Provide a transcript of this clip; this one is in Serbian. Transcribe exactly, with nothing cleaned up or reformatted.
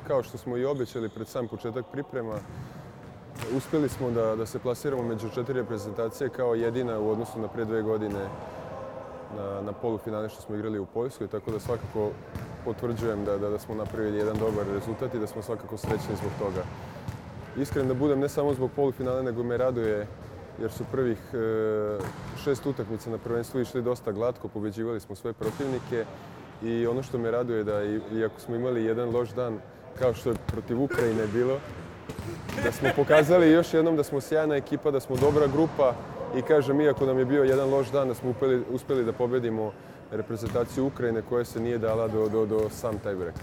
kao što smo i obećali pred sam početak priprema, uspjeli smo da, da se plasiramo među četiri reprezentacije kao jedina u odnosu na prije dve godine na, na polufinale što smo igrali u Poljskoj, tako da svakako potvrđujem da, da, da smo napravili jedan dobar rezultat i da smo svakako srećni zbog toga. Iskren da budem, ne samo zbog polufinale, nego me raduje jer su prvih e, šest utakmica na prvenstvu išli dosta glatko, pobeđivali smo sve protivnike i ono što me raduje da iako smo imali jedan loš dan kao što je protiv Ukrajine bilo, da smo pokazali još jednom da smo sjajna ekipa, da smo dobra grupa i kažem, iako nam je bio jedan loš dan, da smo uspjeli, uspjeli da pobedimo reprezentaciju Ukrajine koja se nije dala do, do, do sam tiebreak.